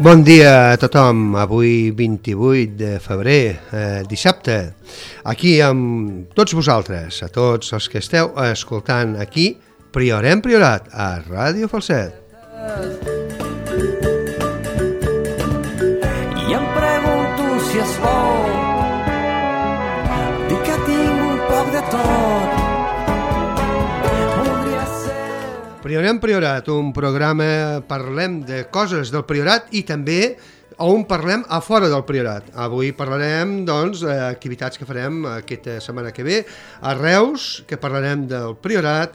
Bon dia a tothom, avui 28 de febrer, dissabte, aquí amb tots vosaltres, a tots els que esteu escoltant aquí, Priorem Priorat, a Ràdio Falset. I em pregunto si és bo dir que tinc un poc de tot. Priorem Priorat, un programa, parlem de coses del Priorat i també on parlem a fora del Priorat. Avui parlarem, doncs, d'activitats que farem aquesta setmana que ve a Reus, que parlarem del Priorat,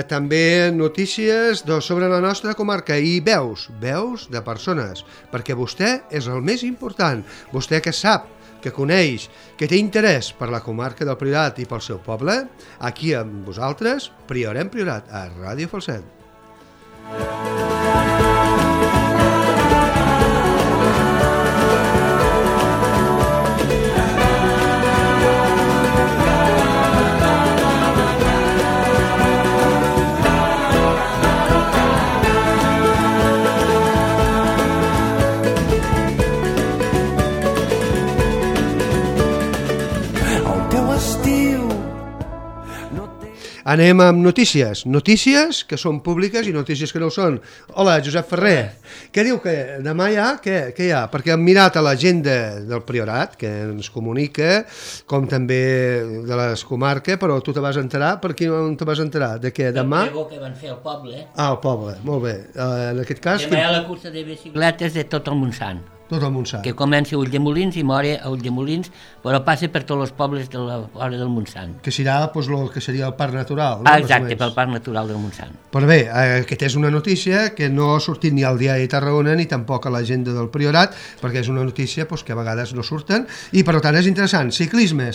també notícies sobre la nostra comarca i veus de persones, perquè vostè és el més important, vostè que sap, que coneix, que té interès per la comarca del Priorat i pel seu poble, aquí amb vosaltres, Priorem Priorat, a Ràdio Falset. Anem amb notícies que són públiques i notícies que no ho són. Hola, Josep Ferrer. Què diu que demà hi ha? Què hi ha? Perquè hem mirat a l'agenda del Priorat, que ens comunica, com també de les comarques, però tu te vas enterar, per qui no te vas enterar? De què? Demà? El que van fer al poble. Ah, al poble, molt bé. En aquest cas... Demà hi ha la cursa de bicicletes de tot el Montsant. Tot el Montsant. Que comença a Ulldemolins i mora a Ulldemolins, però passa per tots els pobles de la vora del Montsant. Que serà doncs, el que seria el parc natural. No? Exacte, pel parc natural del Montsant. Però bé, aquesta és una notícia que no ha sortit ni al Diari de Tarragona ni tampoc a l'agenda del Priorat, perquè és una notícia doncs, que a vegades no surten, i per tant és interessant. Ciclisme,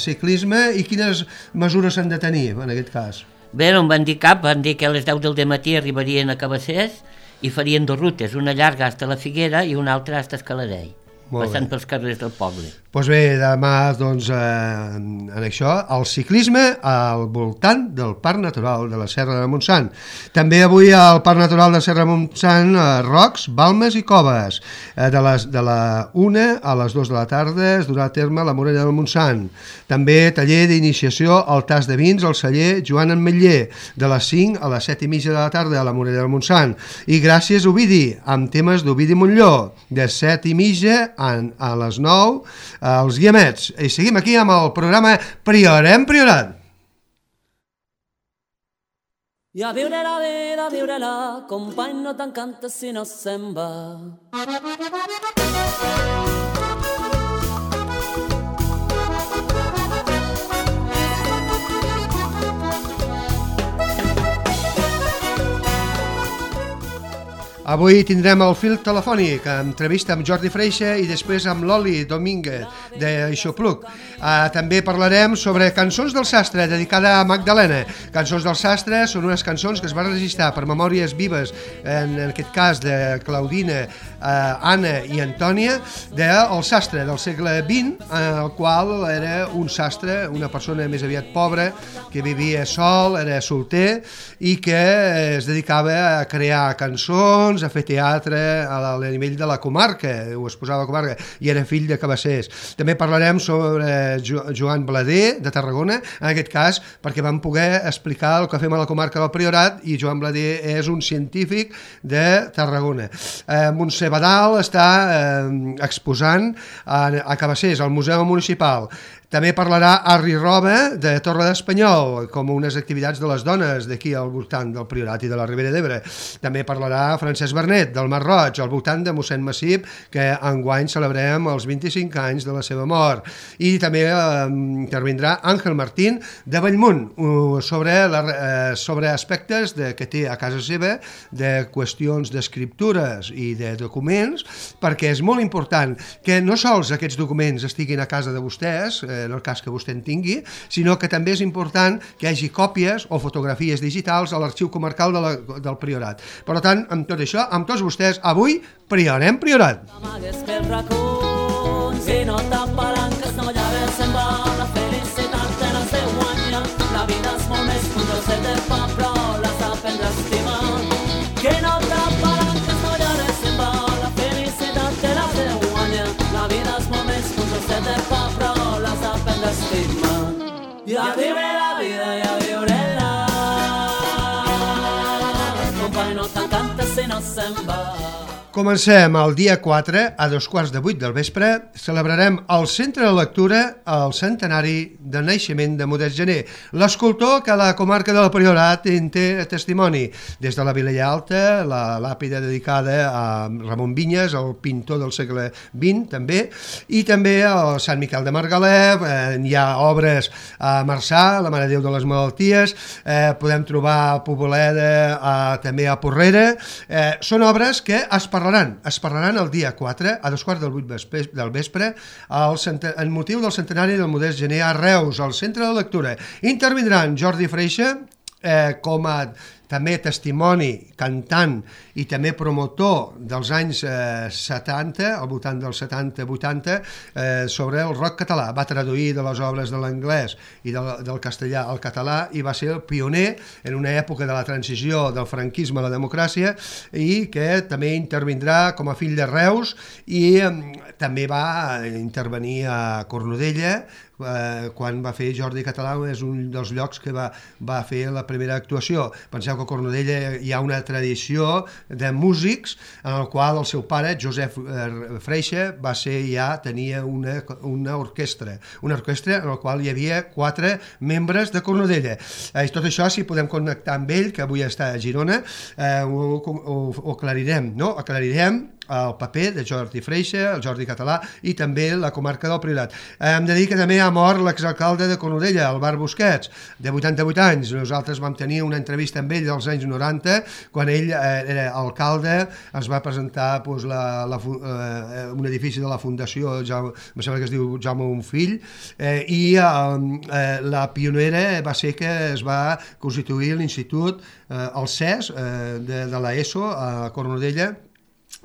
i quines mesures s'han de tenir en aquest cas? Bé, no em van dir cap, van dir que a les 10 del matí arribarien a Cabassers i farien dues rutes, una llarga fins a la Figuera i una altra fins a Escaladell, passant pels carrers del poble. Doncs bé, demà, doncs, en això, el ciclisme al voltant del Parc Natural de la Serra de Montsant. També avui al Parc Natural de la Serra de Montsant, Rocs, Balmes i Coves. De la 1 a les 2 de la tarda es durà a terme la Morella del Montsant. També taller d'iniciació al tas de vins al celler Joan Ametller, de les 5 a les 7:30 de la tarda a la Morella del Montsant. I gràcies Ovidi, amb temes d'Ovidi Montlló, de 7:30 a les 9 als Guiamets. I seguim aquí amb el programa Priorem Priorat. I a viure la vida, viure-la, company, no t'encanta si no se'n va. Avui tindrem el fil telefònic, entrevista amb Jordi Freixa i després amb l'Oli Domínguez d'Aixopluc. També parlarem sobre Cançons del Sastre, dedicada a Magdalena. Cançons del Sastre són unes cançons que es van registrar per memòries vives, en aquest cas de Claudina, Anna i Antònia, del sastre del segle XX, el qual era un sastre, una persona més aviat pobra, que vivia sol, era solter i que es dedicava a crear cançons, a fer teatre a nivell de la comarca, ho exposava a la comarca, i era fill de Cabassers. També parlarem sobre Joan Blader, de Tarragona, en aquest cas, perquè vam poder explicar el que fem a la comarca del Priorat, i Joan Blader és un científic de Tarragona. Montse Badal està exposant a Cabassers, al Museu Municipal. També parlarà Arri Roba, de Torre d'Espanyol, com unes activitats de les dones d'aquí al voltant del Priorat i de la Ribera d'Ebre. També parlarà Francesc Bernet, del Mar Roig, al voltant de mossèn Massip, que enguany celebrem els 25 anys de la seva mort. I també intervindrà Àngel Martín, de Bellmunt, sobre aspectes que té a casa seva, de qüestions d'escriptures i de documents, perquè és molt important que no sols aquests documents estiguin a casa de vostès, en el cas que vostè en tingui, sinó que també és important que hi hagi còpies o fotografies digitals a l'arxiu comarcal del Priorat. Per tant, amb tot això, amb tots vostès, avui Priorem Priorat. Si no t'apalanques, no llaves se'n va, la felicitat te l'has de guanyar, la vida és molt més que un trosset de pa, però l'has d'aprendre a estimar. Que no t'apalanques, no llaves se'n va, la felicitat i a viure la vida i a viure-la. Company, no t'encanta si no se'n va. Comencem el dia 4, a 7:45 del vespre, celebrarem al Centre de Lectura el centenari del naixement de Modest Gener, l'escultor que a la comarca del Priorat en té testimoni. Des de la Vilella Alta, la làpida dedicada a Ramon Vinyes, el pintor del segle XX també, i també al Sant Miquel de Margalef, hi ha obres a Marçà, la Mare de Déu de les Malalties, podem trobar a Poboleda, també a Porrera, són obres que es parlaran el dia 4 a 7:45 del vespre en motiu del centenari del Modest Gener a Reus, al Centre de Lectura. Intervindran Jordi Freixa com a també testimoni, cantant i també promotor dels anys 70, al voltant dels 70-80, sobre el rock català. Va traduir de les obres de l'anglès i del castellà al català i va ser el pioner en una època de la transició del franquisme a la democràcia i que també intervindrà com a fill de Reus i també va intervenir a Cornudella quan va fer Jordi Català, és un dels llocs que va fer la primera actuació. Penseu que a Cornudella hi ha una tradició de músics en el qual el seu pare, Josep Freixa, tenia una orquestra en la qual hi havia 4 membres de Cornudella. I tot això, si podem connectar amb ell, que avui està a Girona, ho aclarirem, no? Aclarirem el paper de Jordi Freixa, el Jordi Català i també la comarca del Priorat. Hem de dir que també ha mort l'exalcalde de Cornudella, el Bar Busquets, de 88 anys. Nosaltres vam tenir una entrevista amb ell dels anys 90, quan ell era alcalde, es va presentar un edifici de la Fundació, em sembla que es diu Jaume Bonfill, i la pionera va ser que es va constituir l'Institut, el CES, de l'ESO a Cornudella,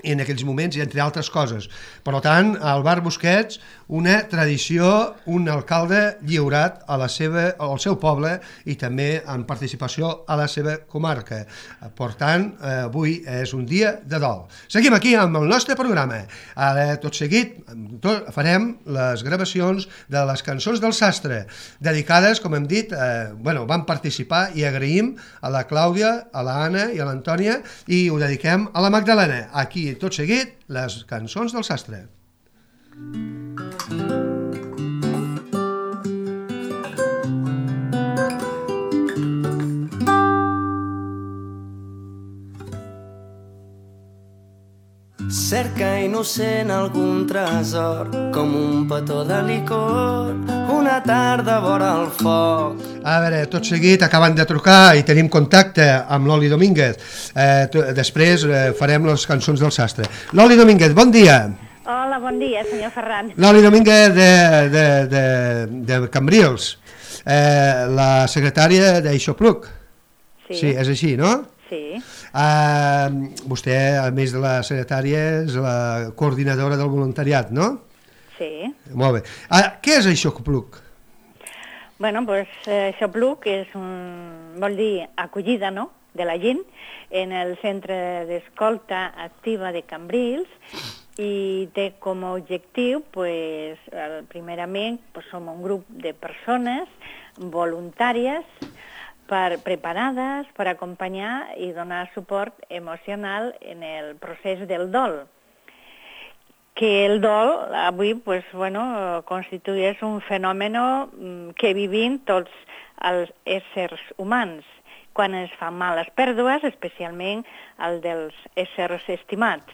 en aquells moments, i entre altres coses. Per tant, al Bar Busquets, una tradició, un alcalde lliurat al seu poble i també en participació a la seva comarca. Per tant, avui és un dia de dol. Seguim aquí amb el nostre programa. Ara, tot seguit, farem les gravacions de les cançons del sastre, dedicades, com hem dit, van participar i agraïm a la Clàudia, a l'Anna i a l'Antònia, i ho dediquem a la Magdalena. Aquí, tot seguit, les cançons del sastre. Cerca innocent algun tresor, com un petó de licor, una tarda vora el foc. A veure, tot seguit acaben de trucar i tenim contacte amb l'Oli Domínguez. Després farem les cançons del sastre. L'Oli Domínguez, bon dia. Hola, bon dia, senyor Ferran. L'Oli Domínguez de Cambrils, la secretària d'Aixopluc. Sí, és així, no? Sí. Vostè, a més de la secretària, és la coordinadora del voluntariat, no? Sí. Molt bé. Què és Aixopluc? Bueno, doncs Aixopluc vol dir acollida, no?, de la gent en el centre d'escolta activa de Cambrils i té com a objectiu, primerament, som un grup de persones voluntàries preparades per acompanyar i donar suport emocional en el procés del dol. Que el dol avui constitueix un fenomen que vivim tots els éssers humans quan es fan males pèrdues, especialment el dels éssers estimats.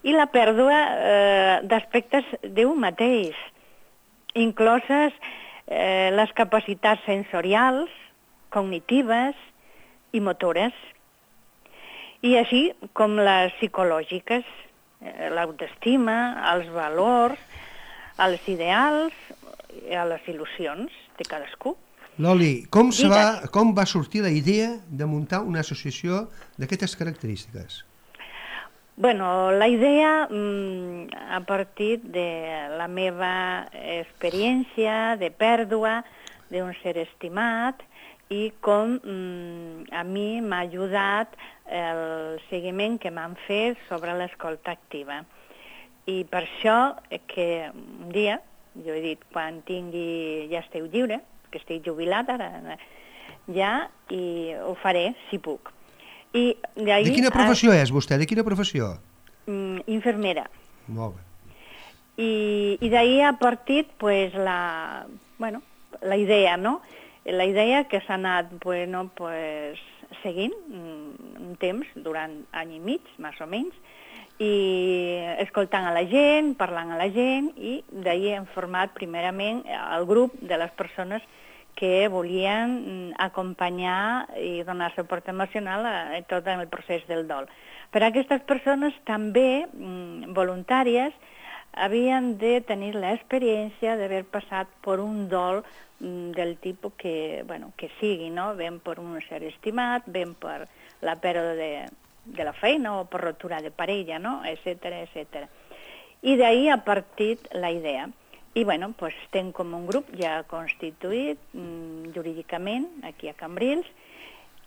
I la pèrdua d'aspectes d'un mateix, incloses les capacitats sensorials, cognitives i motores, i així com les psicològiques, l'autoestima, els valors, els ideals i les il·lusions de cadascú. Loli, com va sortir la idea de muntar una associació d'aquestes característiques? Bueno, la idea a partir de la meva experiència de pèrdua d'un ser estimat i com a mi m'ha ajudat el seguiment que m'han fet sobre l'escolta activa. I per això que un dia, jo he dit, quan ja esteu lliure, que estic jubilat ara ja, i ho faré si puc. I de quina professió és vostè? De quina professió? Infermera. Molt bé. I d'ahir ha partit pues, la idea, no? La idea que s'ha anat seguint un temps, durant any i mig, més o menys, i escoltant a la gent, parlant a la gent, i d'ahir hem format primerament el grup de les persones que volien acompanyar i donar suport emocional a tot el procés del dol. Per a aquestes persones també voluntàries havien de tenir l'experiència d'haver passat per un dol del tipus que sigui, no? Ben per un ser estimat, ben per la pèrdua de la feina o per rotura de parella, no? Etcètera, etcètera. I d'ahir ha partit la idea. I estem com un grup ja constituït jurídicament aquí a Cambrils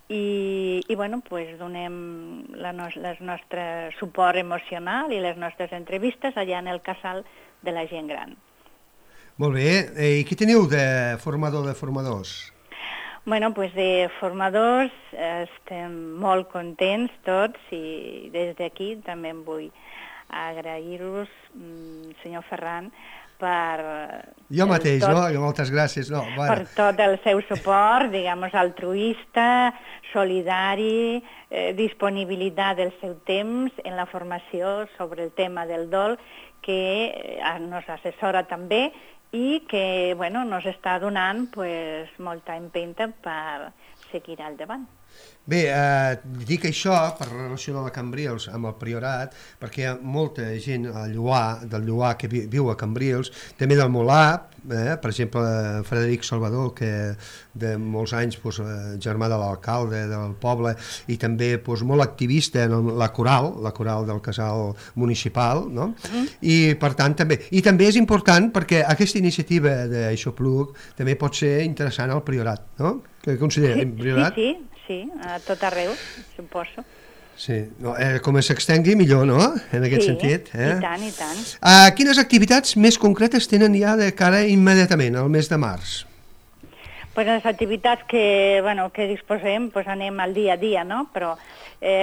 i donem el nostre suport emocional i les nostres entrevistes allà en el casal de la gent gran. Molt bé. I què teniu de formador de formadors? De formadors estem molt contents tots i des d'aquí també em vull agrair-vos, senyor Ferran, jo mateix, no? Moltes gràcies. Per tot el seu suport, altruista, solidari, disponibilitat del seu temps en la formació sobre el tema del dol, que nos assessora també i que nos està donant molta empenta per seguir al davant. Bé, dic això per relacionar la Cambrils amb el Priorat, perquè hi ha molta gent del Lloar que viu a Cambrils, també del Molar, per exemple, Frederic Salvador, que de molts anys germà de l'alcalde del poble i també molt activista en la coral del casal municipal, no? I per tant també és important perquè aquesta iniciativa d'Aixopluc també pot ser interessant al Priorat, no? Què considera el Priorat? Sí, a tot arreu, suposo. Sí, com s'extengui millor, no?, en aquest sentit. I tant, i tant. Quines activitats més concretes tenen ja de cara immediatament, al mes de març? Les activitats que disposem, anem al dia a dia, no?, però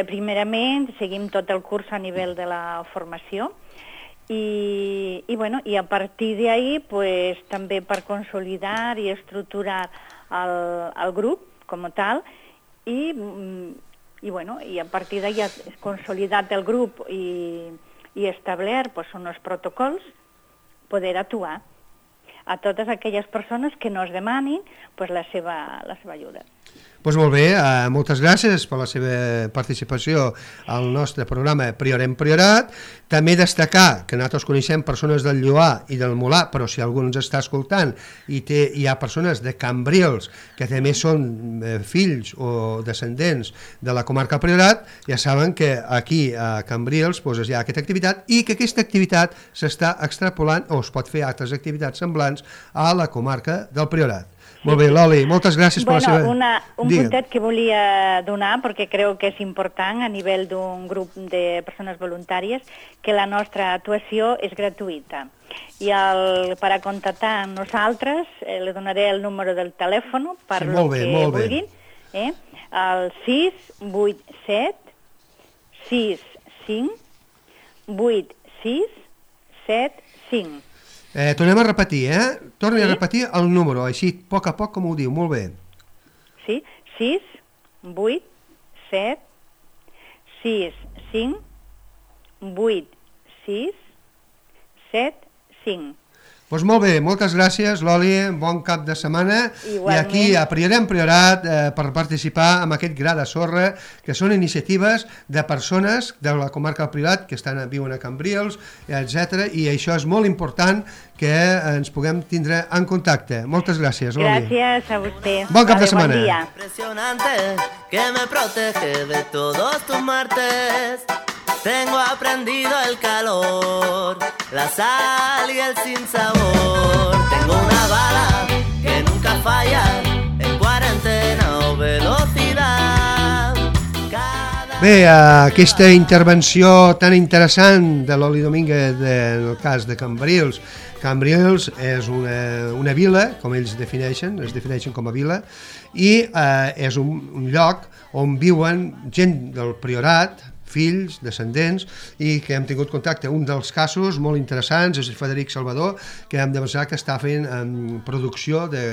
primerament seguim tot el curs a nivell de la formació i a partir d'ahir també per consolidar i estructurar el grup com a tal i a partir d'ahir consolidat el grup i establert uns protocols, poder actuar a totes aquelles persones que nos demanin la seva ajuda. Doncs molt bé, moltes gràcies per la seva participació al nostre programa Priorem Priorat. També destacar que nosaltres coneixem persones del Lloar i del Molar, però si algú ens està escoltant i hi ha persones de Cambrils que també són fills o descendents de la comarca Priorat, ja saben que aquí a Cambrils hi ha aquesta activitat i que aquesta activitat s'està extrapolant o es pot fer altres activitats semblants a la comarca del Priorat. Molt bé, Loli, moltes gràcies per la seva... Un puntet que volia donar, perquè crec que és important a nivell d'un grup de persones voluntàries, que la nostra actuació és gratuïta. I per a contactar amb nosaltres, li donaré el número del telèfon per el que vulguin, el 687 65 86 75. Tornem a repetir, Torni a repetir el número, així, a poc, com ho diu, molt bé. Sí, 6, 8, 7, 6, 5, 8, 6, 7, 5. Doncs molt bé, moltes gràcies, Loli, bon cap de setmana. Igualment. I aquí a Priorem Priorat per participar en aquest gra de sorra, que són iniciatives de persones de la comarca del Priorat que viuen a Cambrils, etc. I això és molt important que ens puguem tindre en contacte. Moltes gràcies, Loli. Gràcies a vostè. Bon cap de setmana. Bon dia. Impresionante que me protege de todos tus martes. Tengo aprendido el calor, la sal y el sinsabor. Tengo una bala que nunca falla, en cuarentena o velocidad. Bé, aquesta intervenció tan interessant de Loli Domínguez en el cas de Cambrils, Cambrils és una vila, com ells es defineixen com a vila, i és un lloc on viuen gent del priorat, fills, descendents, i que hem tingut contacte. Un dels casos molt interessants és el Frederic Salvador, que hem demostrat que està fent producció de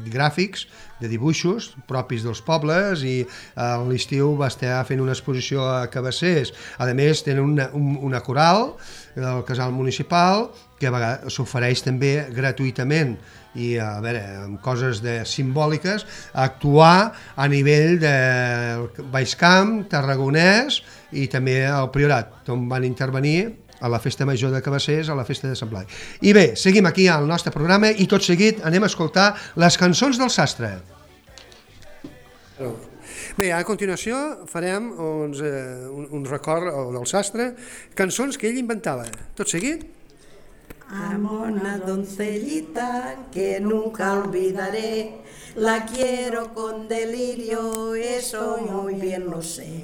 gràfics, de dibuixos propis dels pobles, i a l'estiu va estar fent una exposició a Cabassers. A més, tenen una coral del casal municipal que a vegades s'ofereix també gratuïtament i, a veure, amb coses simbòliques, actuar a nivell del Baix Camp, Tarragonès i també al Priorat, on van intervenir a la Festa Major de Cabassers, a la Festa de Sant Blai. I bé, seguim aquí al nostre programa i tot seguit anem a escoltar les cançons del sastre. Bé, a continuació farem un record del sastre, cançons que ell inventava. Tot seguit? Amo una doncellita que nunca olvidaré, la quiero con delirio, eso muy bien lo sé.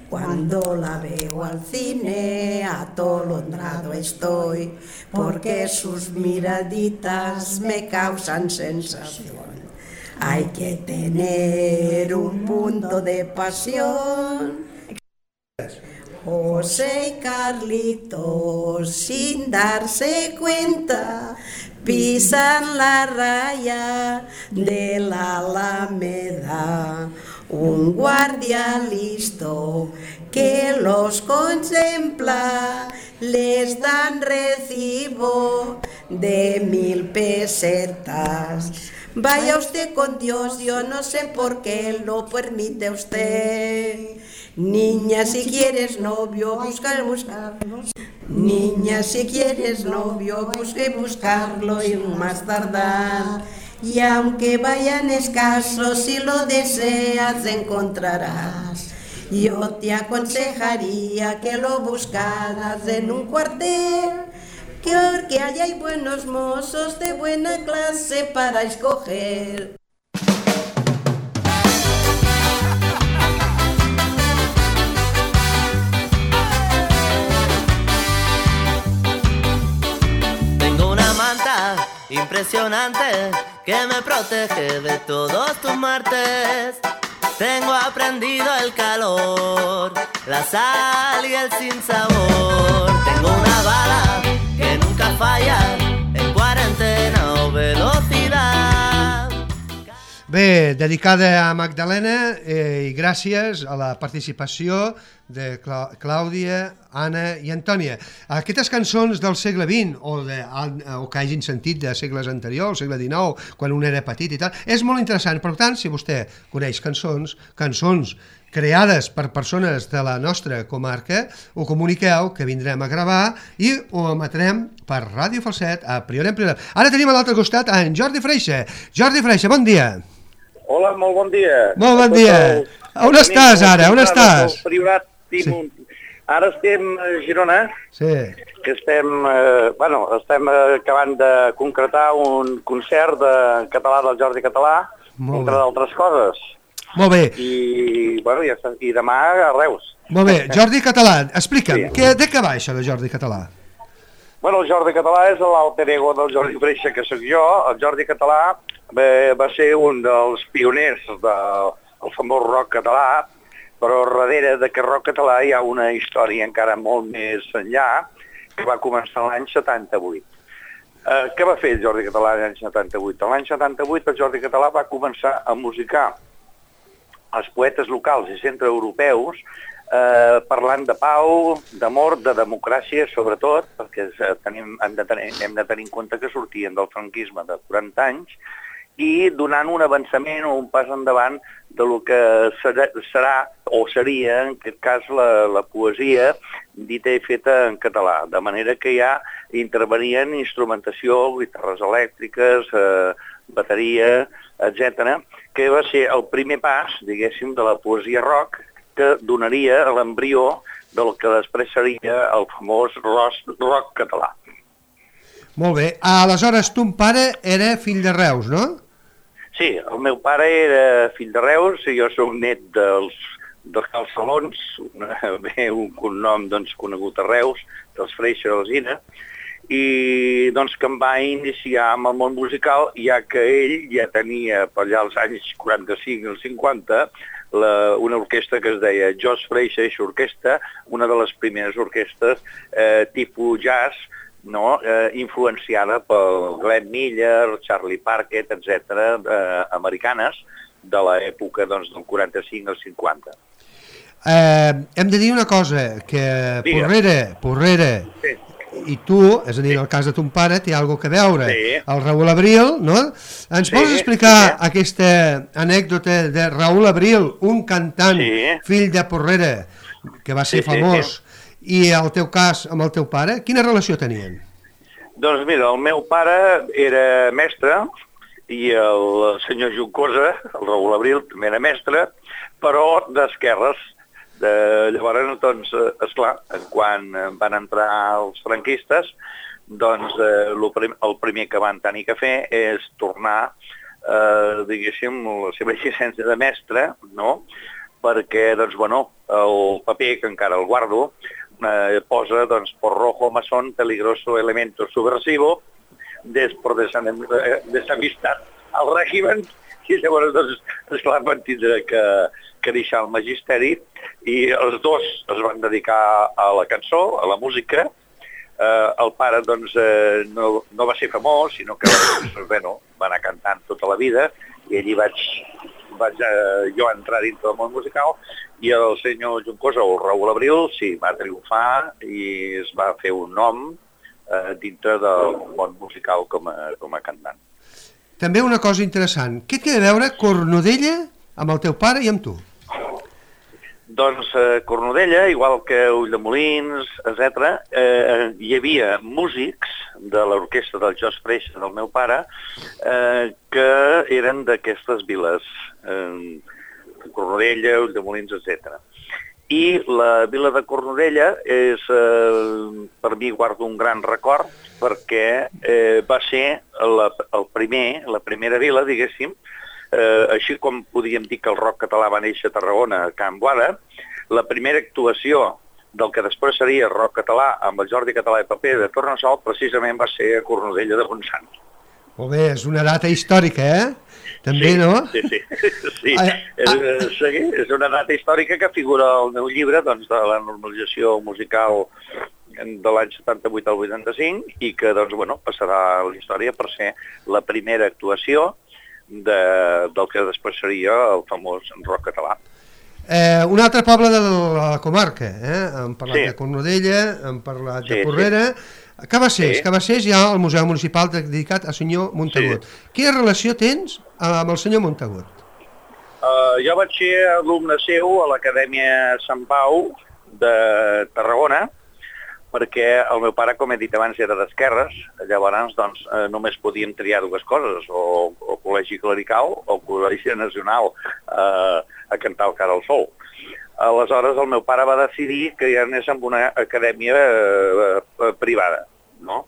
Cuando la veo al cine, atolondrado estoy, porque sus miraditas me causan sensación. Hay que tener un punto de pasión. José y Carlitos, sin darse cuenta, pisan la raya de la Alameda. Un guardia listo que los contempla, les dan recibo de 1000 pesetas. Vaya usted con Dios, yo no sé por qué lo permite usted. Niña, si quieres novio, buscarlo. Niña, si quieres novio, buscarlo y más tardar. Y aunque vayan escasos, si lo deseas encontrarás. Yo te aconsejaría que lo buscaras en un cuartel, porque allá hay buenos mozos de buena clase para escoger. Impresionante que me protege de todos tus martes. Tengo aprendido el calor, la sal y el sinsabor. Tengo una bala que nunca falla en cuarentena o velocidad. Bé, dedicada a Magdalena i gràcies a la participació de Clàudia, Anna i Antònia. Aquestes cançons del segle XX o que hagin sentit de segles anteriors, segle XIX, quan un era petit i tal, és molt interessant. Per tant, si vostè coneix cançons creades per persones de la nostra comarca, ho comuniqueu, que vindrem a gravar i ho emetrem per Ràdio Falset a Priorat en Priorat. Ara tenim a l'altre costat en Jordi Freixa. Jordi Freixa, bon dia. Hola, molt bon dia. Molt bon dia. On estàs ara? On estàs? Sí. Ara estem a Girona, sí. Que estem acabant de concretar un concert de català del Jordi Català, entre d'altres coses. Molt bé. I demà a Reus. Molt bé. Jordi Català, explica'm, sí. De què va això de Jordi Català? Bueno, el Jordi Català és l'alter ego del Jordi Freixa, que sóc jo. El Jordi Català va ser un dels pioners del famós rock català, però darrere d'aquest rock català hi ha una història encara molt més enllà, que va començar l'any 78. Què va fer el Jordi Català l'any 78? L'any 78 el Jordi Català va començar a musicar els poetes locals i centreeuropeus parlant de pau, d'amor, de democràcia, sobretot, perquè hem de tenir en compte que sortien del franquisme de 40 anys, i donant un avançament o un pas endavant de lo que serà o seria, en aquest cas, la poesia dita i feta en català, de manera que ja intervenien instrumentació, guitarres elèctriques, bateria, etc., que va ser el primer pas, diguéssim, de la poesia rock, que donaria l'embrió del que després seria el famós rock català. Molt bé. Aleshores, ton pare era fill de Reus, no? Sí, el meu pare era fill de Reus i jo soc net dels Calçalons, un cognom conegut a Reus, dels Freixa d'Alzina, i doncs que em va iniciar amb el món musical, ja que ell ja tenia per allà als anys 45 i 50 una orquestra que es deia George Freixa Orquestra, una de les primeres orquestres tipus jazz, no? Influenciada pel Glenn Miller, Charlie Parker, etc., americanes, de l'època doncs, del 45 al 50. Hem de dir una cosa, que Porrera sí. I tu, és a dir, en el cas de ton pare, té alguna cosa a veure. Sí. El Raül Abril, no? Ens vols explicar aquesta anècdota de Raül Abril, un cantant, fill de Porrera, que va ser famós, i el teu cas amb el teu pare, quina relació tenien? Doncs mira, el meu pare era mestre i el senyor Juncosa, el Raül Abril, també era mestre, però d'esquerres. Llavors, doncs, esclar, quan van entrar els franquistes, doncs el primer que van tenir que fer és tornar, diguéssim, la seva llicència de mestre, no? Perquè, doncs, bueno, el paper, que encara el guardo, posa, doncs, por rojo masón, peligroso elemento subversivo, por desamistat al règimen, i llavors, doncs, esclar, van tindre que deixar el magisteri, i els dos es van dedicar a la cançó, a la música. El pare, doncs, no va ser famós, sinó que bueno, va anar cantant tota la vida, i allí vaig jo entrar dintre del món musical, i el senyor Juncosa, o Raül Abril, sí, va triomfar i es va fer un nom dintre del món musical com a cantant. També una cosa interessant, què té a veure Cornudella amb el teu pare i amb tu? Doncs Cornudella, igual que Ulldemolins, etc., hi havia músics de l'orquestra del George Freixa, del meu pare, que eren d'aquestes viles, Cornudella, Ulldemolins, etc. I la vila de Cornudella és, per mi, guardo un gran record, perquè va ser la primera vila, diguéssim, així com podíem dir que el rock català va néixer a Tarragona, a Can Boada, la primera actuació del que després seria rock català amb el Jordi Català i Paper de Tornassol precisament va ser a Cornudella de Montsant. Molt bé, és una data històrica, També, sí, no? Sí. És una data històrica que figura al meu llibre, doncs, de la normalització musical de l'any 78 al 85 i que, doncs, bueno, passarà a la història per ser la primera actuació del que després seria el famós rock català. Un altre poble de la comarca, hem parlat de Cornudella, hem parlat de Porrera, Cabassers hi ha el Museu Municipal dedicat al senyor Montagut. Quina relació tens amb el senyor Montagut? Jo vaig ser alumne seu a l'Acadèmia Sant Pau de Tarragona, perquè el meu pare, com he dit abans, era d'esquerres, llavors doncs, només podíem triar dues coses, o col·legi clerical o col·legi nacional a cantar el Cara al Sol. Aleshores el meu pare va decidir que ja anés amb una acadèmia privada, no?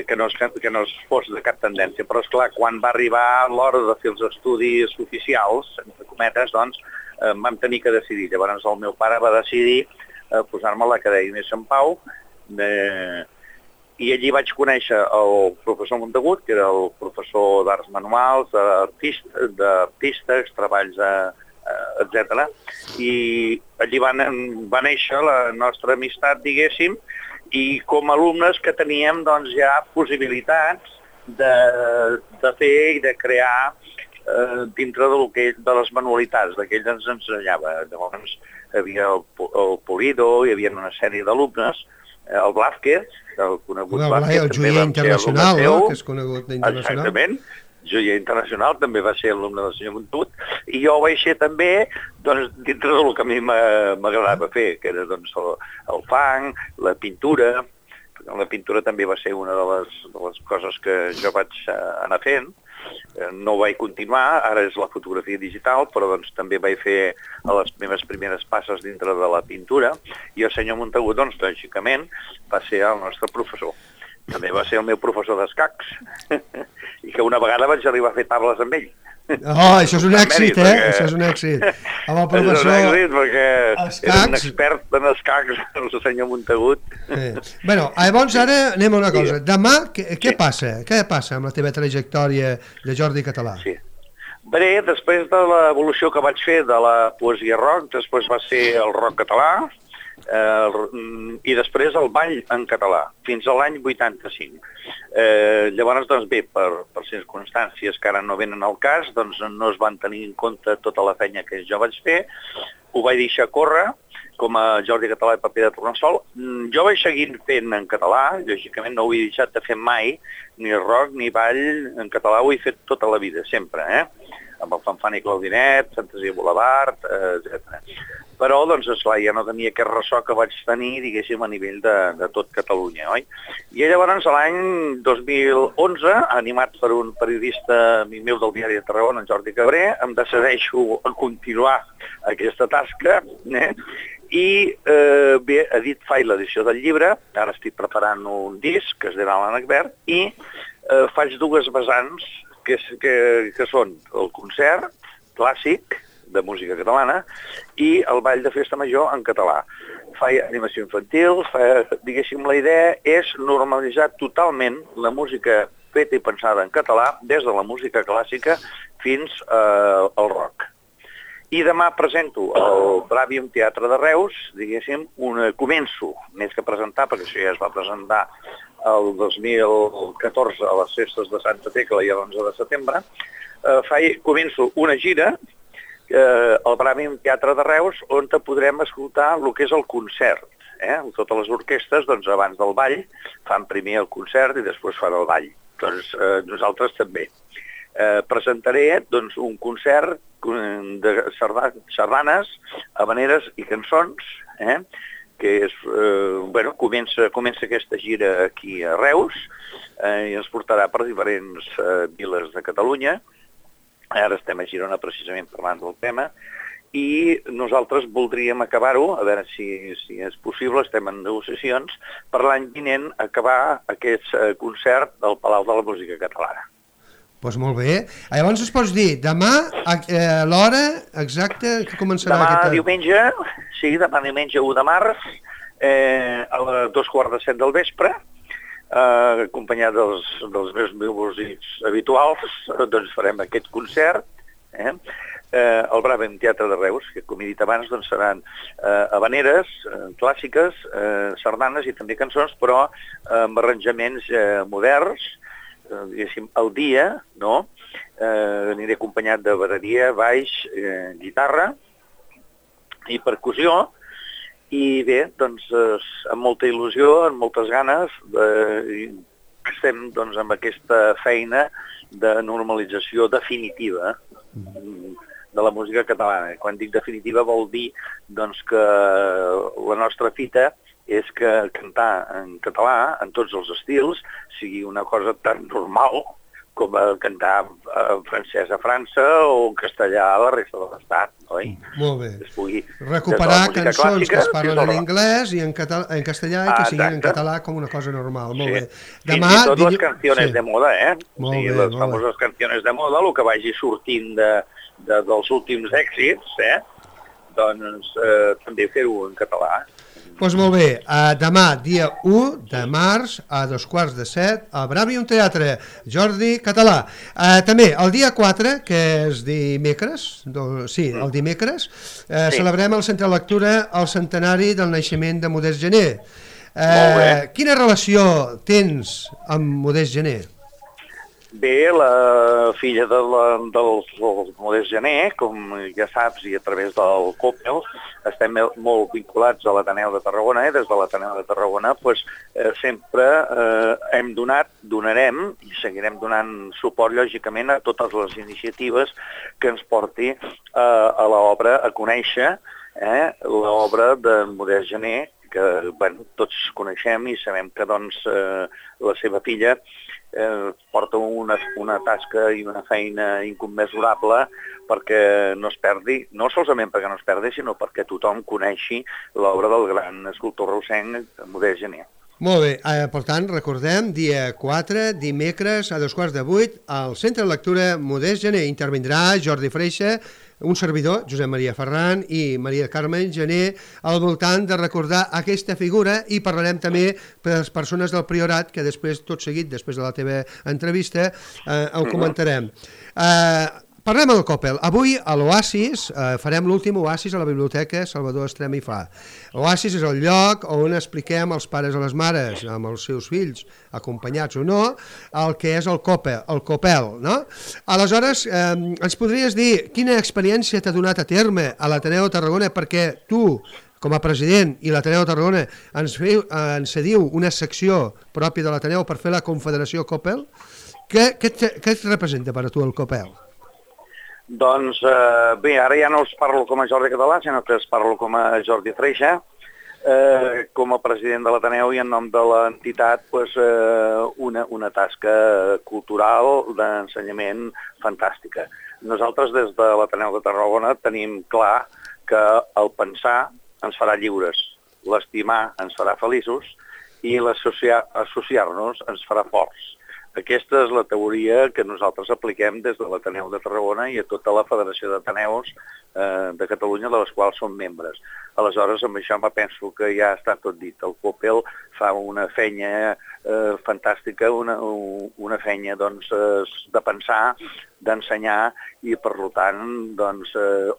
Que no es fos de cap tendència, però esclar, quan va arribar l'hora de fer els estudis oficials, entre cometes, doncs vam tenir que decidir. Llavors el meu pare va decidir posar-me a l'Acadèmia Sant Pau, i allí vaig conèixer el professor Montagut, que era el professor d'arts manuals, d'artistes, treballs, etc. I allí va néixer la nostra amistat, diguéssim, i com a alumnes que teníem doncs, ja possibilitats de fer i de crear dintre de les manualitats, que ell ens ensenyava. Llavors hi havia el Polido, hi havia una sèrie d'alumnes, el Blázquez, el conegut Blázquez, el joier internacional, que és conegut internacional. Exactament, joier internacional, també va ser alumne del senyor Montagut, i jo vaig ser també dintre del que a mi m'agradava fer, que era el fang, la pintura. La pintura també va ser una de les coses que jo vaig anar fent. No vaig continuar, ara és la fotografia digital, però també vaig fer les meves primeres passes dintre de la pintura, i el senyor Montagut, lògicament, va ser el nostre professor. També va ser el meu professor d'escacs, i que una vegada vaig arribar a fer tables amb ell. Oh, això és un èxit, Això és un èxit. Amb el professor... És un èxit perquè és un expert en escacs, el senyor Montagut. Bueno, llavors ara anem a una cosa. Demà, què passa? Què passa amb la teva trajectòria de Jordi Català? Sí. Bé, després de l'evolució que vaig fer de la poesia rock, després va ser el rock català, i després el ball en català, fins a l'any 85. Llavors, doncs bé, per circumstàncies que ara no venen al cas, doncs no es van tenir en compte tota la feina que jo vaig fer, ho vaig deixar córrer com a Jordi Català i paper de tornassol. Jo vaig seguir fent en català, lògicament no ho he deixat de fer mai, ni rock ni ball en català, ho he fet tota la vida, sempre, amb el Fanfan i Claudinet, Fantasia Boulevard, etc. Però, doncs, esclar, ja no tenia aquest ressò que vaig tenir, diguéssim, a nivell de tot Catalunya, oi? I llavors, l'any 2011, animat per un periodista amic meu del diari de Tarragona, en Jordi Cabré, em decideixo a continuar aquesta tasca, i bé, faig l'edició del llibre, ara estic preparant un disc que es dirà l'Ànec Verd, i faig dues vessants que són el concert clàssic de música catalana i el ball de festa major en català. Faig animació infantil, diguéssim, la idea és normalitzar totalment la música feta i pensada en català, des de la música clàssica fins al rock. I demà presento al Bràvium Teatre de Reus, diguéssim, començo, més que presentar, perquè això ja es va presentar el 2014 a les festes de Santa Tecla i l'11 de setembre, començo una gira al Bràvium Teatre de Reus on podrem escoltar el que és el concert. Totes les orquestres, doncs, abans del ball, fan primer el concert i després fan el ball. Doncs nosaltres també. Presentaré, doncs, un concert de sardanes, havaneres i cançons, que és, bueno, comença aquesta gira aquí a Reus i ens portarà per diferents viles de Catalunya. Ara estem a Girona precisament parlant del tema i nosaltres voldríem acabar-ho, a veure si és possible, estem en negociacions, per l'any vinent acabar aquest concert del Palau de la Música Catalana. Doncs molt bé. Llavors es pots dir, demà, l'hora exacta que començarà aquesta... Demà diumenge 1 de març, a les 2:45 del vespre, acompanyat dels meus músics habituals, doncs farem aquest concert, al Bràvium Teatre de Reus, que com he dit abans doncs seran havaneres clàssiques, sardanes i també cançons, però amb arranjaments moderns, diguéssim, al dia, no? Aniré acompanyat de bateria, baix, guitarra i percussió, i bé, doncs, amb molta il·lusió, amb moltes ganes, estem doncs amb aquesta feina de normalització definitiva de la música catalana. Quan dic definitiva vol dir doncs que la nostra fita és que cantar en català, en tots els estils, sigui una cosa tan normal com cantar en francès a França o en castellà a la resta de l'Estat, oi? Molt bé. Recuperar cançons que es parlen en anglès i en castellà i que siguin en català com una cosa normal. Molt bé. Fins i tot les canciones de moda, les famoses canciones de moda, el que vagi sortint dels últims èxits, doncs també fer-ho en català. Doncs molt bé, demà, dia 1 de març, a 2:45, al Bràvium Teatre, Jordi Català. També, el dia 4, que és dimecres, el dimecres, celebrem al Centre de Lectura el centenari del naixement de Modest Gené. Quina relació tens amb Modest Gené? Bé, la filla del Modest Gené, com ja saps, i a través del COPEL, estem molt vinculats a l'Ateneu de Tarragona, i des de l'Ateneu de Tarragona sempre hem donat, donarem i seguirem donant suport, lògicament, a totes les iniciatives que ens porti a l'obra, a conèixer l'obra de Modest Gené, que tots coneixem i sabem que la seva filla porta una tasca i una feina incommensurable perquè no es perdi, no solament perquè no es perdi, sinó perquè tothom coneixi l'obra del gran escultor reusenc Modest Gené. Molt bé, per tant, recordem, dia 4, dimecres, a 7:15, al Centre de Lectura Modest Gener. Intervindrà Jordi Freixa, un servidor, Josep Maria Ferran, i Maria Carmen Gener, al voltant de recordar aquesta figura, i parlarem també per les persones del Priorat, que després, tot seguit, després de la teva entrevista, ho comentarem. Parlem del Coppel. Avui a l'Oasis farem l'últim Oasis a la Biblioteca Salvador Estrem i Fa. L'Oasis és el lloc on expliquem als pares i les mares, amb els seus fills, acompanyats o no, el que és el Coppel, no? Aleshores, ens podries dir quina experiència t'ha donat a terme a l'Ateneu de Tarragona, perquè tu, com a president, i l'Ateneu de Tarragona ens cediu una secció pròpia de l'Ateneu per fer la Confederació Coppel. Què et representa per a tu el Coppel? Doncs bé, ara ja no us parlo com a Jordi Català, sinó que us parlo com a Jordi Freixa, com a president de l'Ateneu i en nom de l'entitat una tasca cultural d'ensenyament fantàstica. Nosaltres des de l'Ateneu de Tarragona tenim clar que el pensar ens farà lliures, l'estimar ens farà feliços i l'associar-nos ens farà forts. Aquesta és la teoria que nosaltres apliquem des de l'Ateneu de Tarragona i a tota la Federació d'Ateneus de Catalunya, de les quals som membres. Aleshores, amb això penso que ja està tot dit. El Coppel fa una feina fantàstica, una feina de pensar, d'ensenyar i, per tant,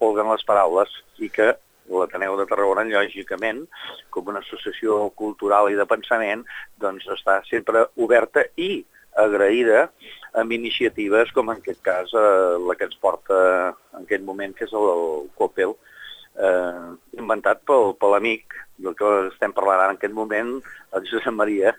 olguen les paraules i que l'Ateneu de Tarragona, lògicament, com una associació cultural i de pensament, està sempre oberta i agraïda amb iniciatives com en aquest cas la que ens porta en aquest moment, que és el Coppel, inventat per l'amic del que estem parlant ara en aquest moment, el Josep Maria.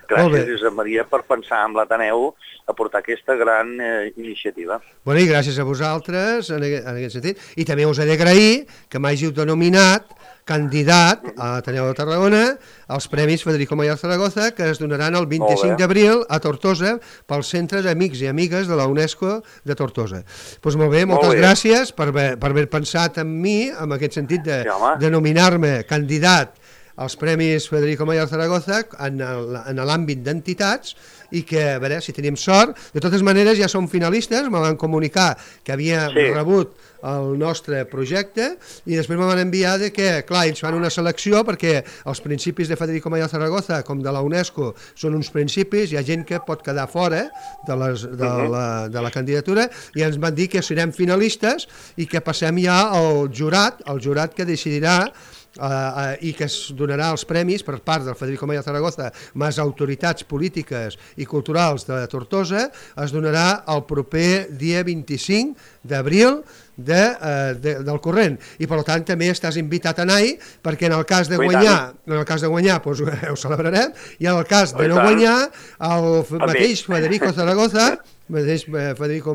Gràcies, Josep Maria, per pensar en l'Ateneu a portar aquesta gran iniciativa. Bueno, i gràcies a vosaltres en aquest sentit. I també us he d'agrair que m'hàgiu denominat candidat a l'Ateneu de Tarragona als Premis Federico Mayor Zaragoza, que es donaran el 25 d'abril a Tortosa pel Centre d'Amics i Amigues de la UNESCO de Tortosa. Doncs molt bé, moltes gràcies per haver pensat en mi, en aquest sentit de nominar-me candidat als Premis Federico Mayor Zaragoza en l'àmbit d'entitats, i que, a veure, si tenim sort, de totes maneres ja som finalistes, me van comunicar que havia rebut el nostre projecte i després me van enviar que, clar, ells fan una selecció perquè els principis de Federico Mayor Zaragoza com de la UNESCO són uns principis, hi ha gent que pot quedar fora de la candidatura i ens van dir que serem finalistes i que passem ja al jurat que decidirà i que es donarà els premis per part del Federico Mayor Zaragoza més autoritats polítiques i culturals de Tortosa, es donarà el proper dia 25 d'abril del corrent, i per tant també estàs invitat a anar-hi, perquè en el cas de guanyar doncs ho celebrarem, i en el cas de no guanyar el mateix Federico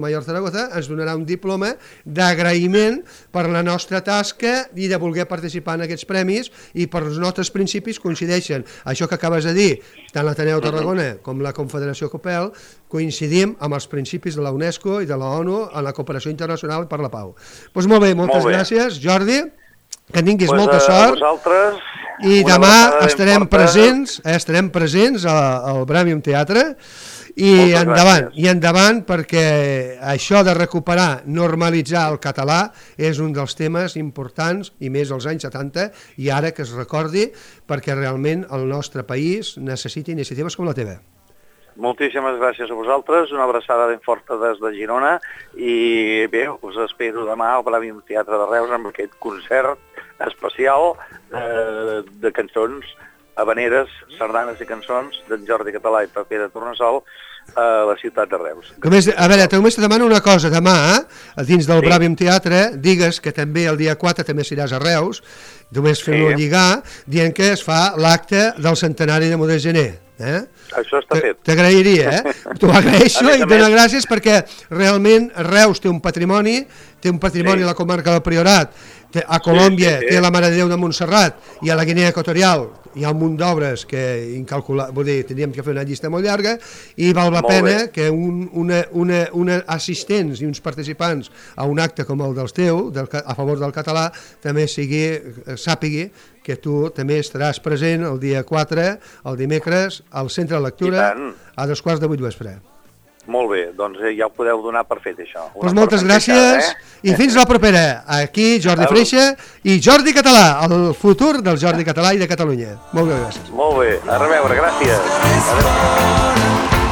Mayor Zaragoza ens donarà un diploma d'agraïment per la nostra tasca i de voler participar en aquests premis, i per els nostres principis coincideixen. Això que acabes de dir, tant l'Ateneu Tarragona com la Confederació Coppel coincidim amb els principis de la UNESCO i de la ONU en la cooperació internacional per la pau. Doncs molt bé, moltes gràcies, Jordi, que tinguis molta sort. I demà estarem presents al Bràmium Teatre. I endavant, perquè això de recuperar, normalitzar el català és un dels temes importants, i més als anys 70, i ara que es recordi, perquè realment el nostre país necessita iniciatives com la teva. Moltíssimes gràcies a vosaltres, una abraçada ben forta des de Girona, i bé, us espero demà al Bràmium Teatre de Reus amb aquest concert especial de cançons habaneres, sardanes i cançons d'en Jordi Català i Paper de Tornassol a la ciutat de Reus. A veure, només te demano una cosa, demà, dins del Bràmium Teatre, digues que també el dia 4 també seràs a Reus, només fem-ho lligar, dient que es fa l'acte del centenari de Modest Gener. Això està fet. T'agrairia, t'ho agraeixo i et dono gràcies perquè realment Reus té un patrimoni a la comarca del Priorat A Colòmbia té la Mare de Déu de Montserrat i a la Guinea Equatorial hi ha un munt d'obres que vull dir, tindríem que fer una llista molt llarga i val la pena que una assistents i uns participants a un acte com el del teu, a favor del català, també sàpigui que tu també estaràs present el dia 4, el dimecres, al Centre de Lectura a 7:15 vespre. Molt bé, doncs ja ho podeu donar per fet, això. Doncs moltes gràcies i fins la propera. Aquí Jordi Freixa i Jordi Català, el futur del Jordi Català i de Catalunya. Molt bé, gràcies. Molt bé, a reveure, gràcies.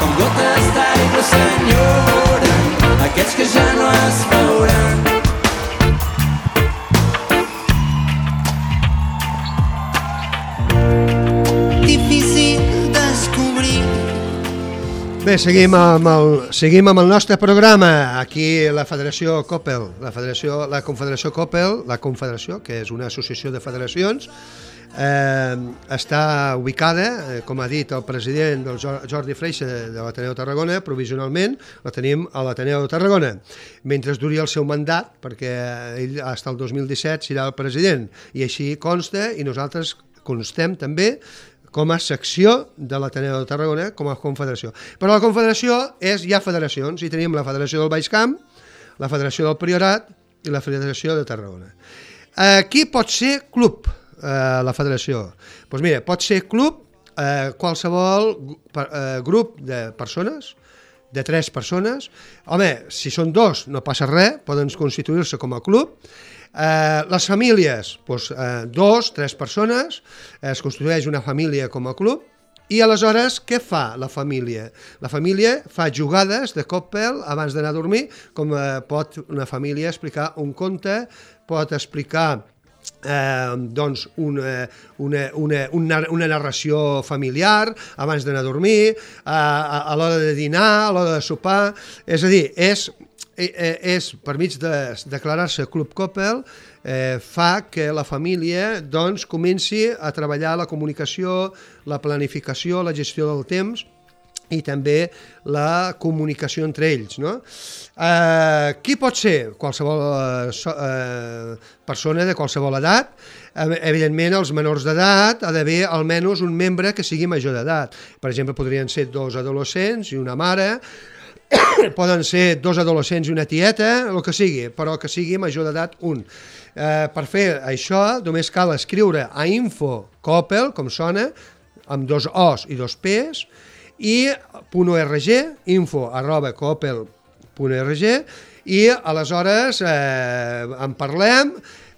Com gotes d'aigua s'enyoren aquests que ja no es veuran. Difícil descobrir. Bé, seguim amb el nostre programa. Aquí la Federació Coppel, la Confederació Coppel, la Confederació, que és una associació de federacions, està ubicada, com ha dit el president del Jordi Freixa de l'Ateneu de Tarragona, provisionalment la tenim a l'Ateneu de Tarragona, mentre duri el seu mandat, perquè ell fins al 2017 serà el president, i així consta, i nosaltres constem també com a secció de l'Ateneu de Tarragona, com a confederació. Però la confederació hi ha federacions, i tenim la Federació del Baix Camp, la Federació del Priorat i la Federació de Tarragona. Qui pot ser club, la federació? Doncs mira, pot ser club qualsevol grup de persones, de 3 persones. Home, si són 2 no passa res, poden constituir-se com a club. Les famílies, 2, 3 persones, es constitueix una família com a club, i aleshores què fa la família? La família fa jugades de Coppel abans d'anar a dormir, com pot una família explicar un conte, pot explicar doncs una narració familiar abans d'anar a dormir, a l'hora de dinar, a l'hora de sopar, és a dir, és per mig de declarar-se Club Coppel, fa que la família doncs comenci a treballar la comunicació, la planificació, la gestió del temps i també la comunicació entre ells, no? Qui pot ser? Qualsevol persona de qualsevol edat. Evidentment, els menors d'edat ha d'haver almenys un membre que sigui major d'edat. Per exemple, podrien ser 2 adolescents i una mare, poden ser 2 adolescents i una tieta, el que sigui, però que sigui major d'edat un. Per fer això només cal escriure a info.coppel, com sona, amb 2 O's i 2 P's, i .org, info@coppel.org, i aleshores en parlem.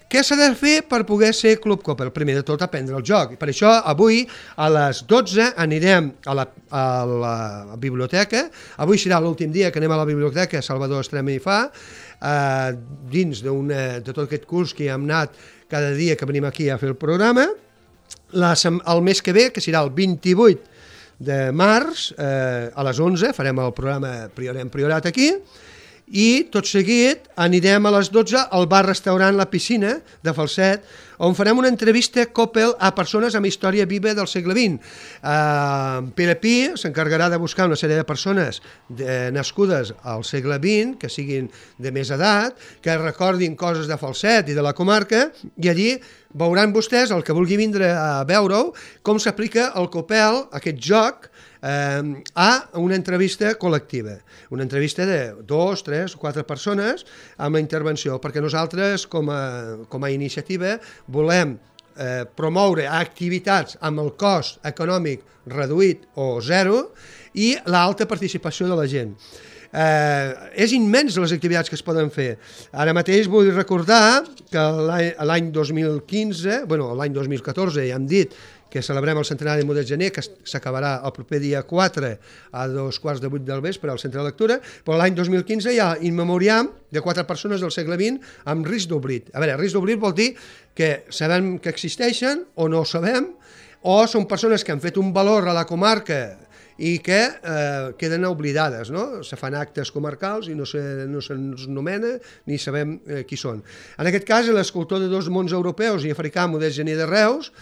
Què s'ha de fer per poder ser Club Coppel? Primer de tot, aprendre el joc. Per això, avui, a les 12, anirem a la biblioteca. Avui serà l'últim dia que anem a la biblioteca Salvador Estrema i Fa, dins de tot aquest curs que hem anat cada dia que venim aquí a fer el programa. El mes que ve, que serà el 28 de març, a les 11, farem el programa Priorat aquí, i tot seguit anirem a les 12 al bar-restaurant La Piscina de Falset, on farem una entrevista Coppel a persones amb història viva del segle XX. Pere Pi s'encarregarà de buscar una sèrie de persones nascudes al segle XX, que siguin de més edat, que recordin coses de Falset i de la comarca, i allí veuran vostès, el que vulgui vindre a veure-ho, com s'aplica el Coppel, aquest joc, a una entrevista col·lectiva. Una entrevista de 2, 3 o 4 persones amb la intervenció, perquè nosaltres, com a iniciativa, volem promoure activitats amb el cost econòmic reduït o zero i l'alta participació de la gent. És immens les activitats que es poden fer. Ara mateix vull recordar que l'any 2015, l'any 2014 ja hem dit que celebrem el centenari de Mudet Gener, que s'acabarà el proper dia 4 a 7:15 del vespre al Centre de Lectura, però l'any 2015 hi ha in memoriam de 4 persones del segle XX amb risc d'oblit. A veure, risc d'oblit vol dir que sabem que existeixen o no ho sabem, o són persones que han fet un valor a la comarca i que queden oblidades, no? Se fan actes comarcals i no se'ns nomena ni sabem qui són. En aquest cas, l'escultor de 2 mons europeus i africà, Mudet Gener de Reus,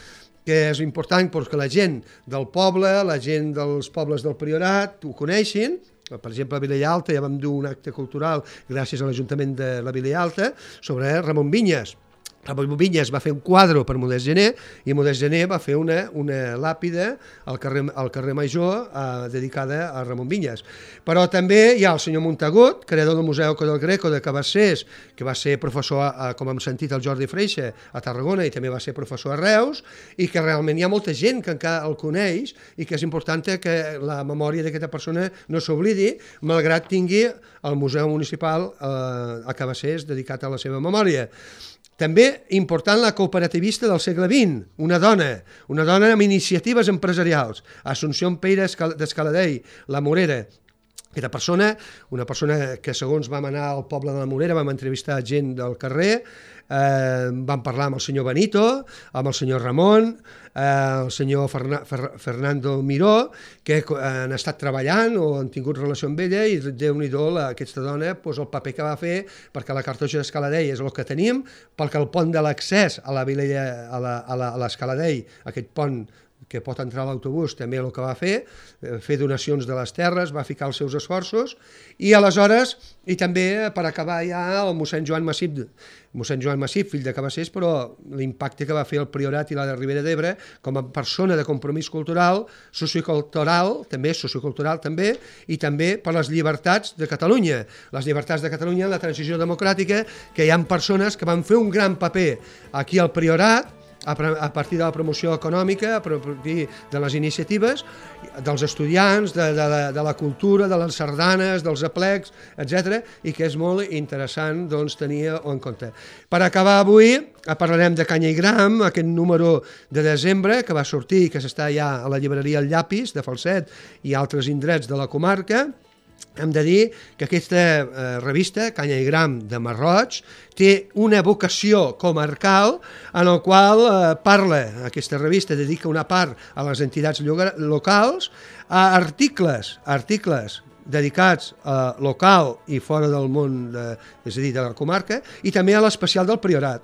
que és important perquè la gent del poble, la gent dels pobles del Priorat ho coneixin. Per exemple, a Vilella Alta ja vam dur un acte cultural gràcies a l'Ajuntament de la Vilella Alta sobre Ramon Vinyes, Ramon Vinyes va fer un quadre per Modest Gené i Modest Gené va fer una làpida al carrer Major dedicada a Ramon Vinyes. Però també hi ha el senyor Montagut, creador del Museu del Greco de Cabassers, que va ser professor, com hem sentit, el Jordi Freixa a Tarragona i també va ser professor a Reus, i que realment hi ha molta gent que encara el coneix i que és important que la memòria d'aquesta persona no s'oblidi, malgrat tingui el Museu Municipal a Cabassers dedicat a la seva memòria. També important la cooperativista del segle XX, una dona amb iniciatives empresarials, Assumpció Peira d'Escaladei, la Morera. Aquesta persona, una persona que segons vam anar al poble de la Morera, vam entrevistar gent del carrer, vam parlar amb el senyor Benito, amb el senyor Ramon, el senyor Fernando Miró, que han estat treballant o han tingut relació amb ella, i Déu-n'hi-do aquesta dona, el paper que va fer, perquè la Cartoixa d'Escaladei és el que tenim, perquè el pont de l'accés a la Vilella, a l'Escaladei, aquest pont que pot entrar a l'autobús, també el que va fer donacions de les terres, va ficar els seus esforços, i aleshores, i també per acabar ja el mossèn Joan Massip, fill de Cabassers, però l'impacte que va fer el Priorat i la de Ribera d'Ebre com a persona de compromís cultural, sociocultural també, i també per les llibertats de Catalunya. Les llibertats de Catalunya en la transició democràtica, que hi ha persones que van fer un gran paper aquí al Priorat, a partir de la promoció econòmica, a partir de les iniciatives, dels estudiants, de la cultura, de les sardanes, dels aplecs, etc., i que és molt interessant tenir en compte. Per acabar avui, parlarem de Canya i Gram, aquest número de desembre que va sortir, que s'està ja a la llibreria El Llapis, de Falset, i altres indrets de la comarca. Hem de dir que aquesta revista, Canya i Gram de Marroig, té una vocació comarcal en el qual aquesta revista dedica una part a les entitats locals, a articles dedicats a local i fora del món, és a dir, de la comarca, i també a l'especial del Priorat.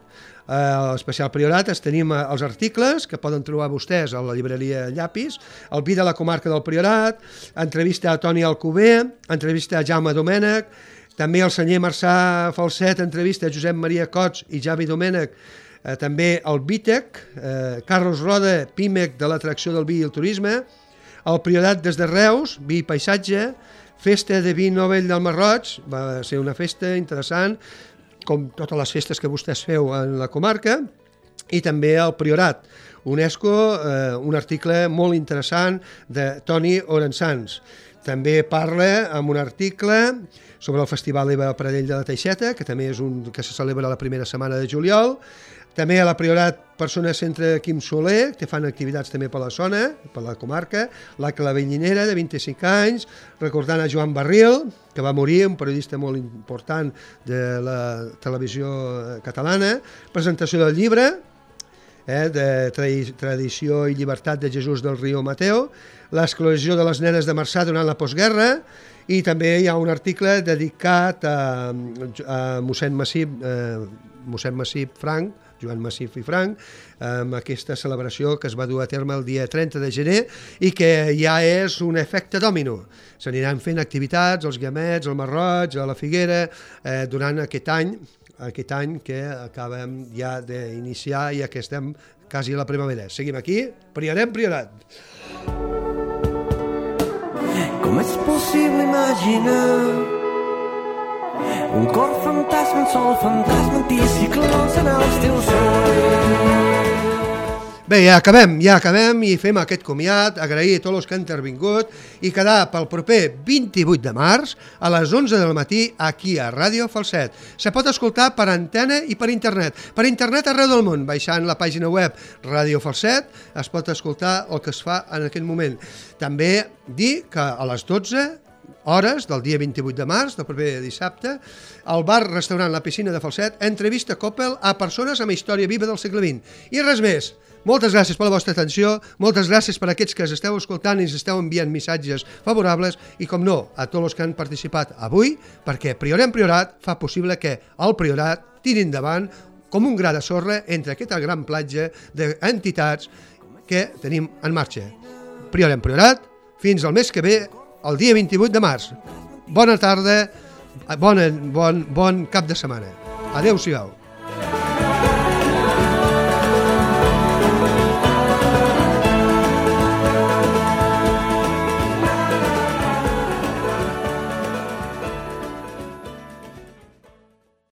A l'especial Priorat tenim els articles que poden trobar vostès a la llibreria Llapis, el vi de la comarca del Priorat, entrevista a Toni Alcover, entrevista a Jaume Domènech, també el senyor Marçà Falset, entrevista a Josep Maria Cots i Javi Domènech, també el Vítec, Carlos Roda, Pímec de l'atracció del vi i el turisme, el Priorat des de Reus, vi i paisatge, festa de vi Nobel del Marroig, va ser una festa interessant, com totes les festes que vostès feu en la comarca, i també el Priorat, UNESCO, un article molt interessant de Toni Orençans. També parla amb un article sobre el Festival Eva Pradell de la Teixeta, que també és un que se celebra la primera setmana de juliol. També a la Priorat Persona Centre Quim Soler, que fan activitats també per la zona, per la comarca, la Clavellinera, de 25 anys, recordant a Joan Barril, que va morir, un periodista molt important de la televisió catalana, presentació del llibre, de Tradició i Llibertat de Jesús del Rio Mateo, l'esclosió de les nenes de Marçà durant la postguerra, i també hi ha un article dedicat a mossèn Massip Franc, Joan Massip i Franc, amb aquesta celebració que es va dur a terme el dia 30 de gener i que ja és un efecte dòmino. S'aniran fent activitats, els Guiamets, el Marroig, a la Figuera, durant aquest any que acabem ja d'iniciar i que estem quasi a la primavera. Seguim aquí, Priorat. Com és possible imaginar un cor fantasma, un sol fantasma, anticiclons en els teus ulls. Bé, ja acabem i fem aquest comiat, agrair a tots els que han intervingut i quedar pel proper 28 de març a les 11 del matí aquí a Ràdio Falset. Se pot escoltar per antena i per internet. Per internet arreu del món, baixant la pàgina web Ràdio Falset, es pot escoltar el que es fa en aquest moment. També dir que a les 12 hores del dia 28 de març, del proper dissabte, al bar-restaurant La Piscina de Falset, entrevista Coppel a persones amb història viva del segle XX. I res més. Moltes gràcies per la vostra atenció, moltes gràcies per aquests que esteu escoltant i ens esteu enviant missatges favorables i, com no, a tots els que han participat avui, perquè Priorat fa possible que el Priorat tiri endavant com un gra de sorra entre aquesta gran platja d'entitats que tenim en marxa. Priorat, fins al mes que ve, el dia 28 de març. Bona tarda, bon cap de setmana. Adéu-siau.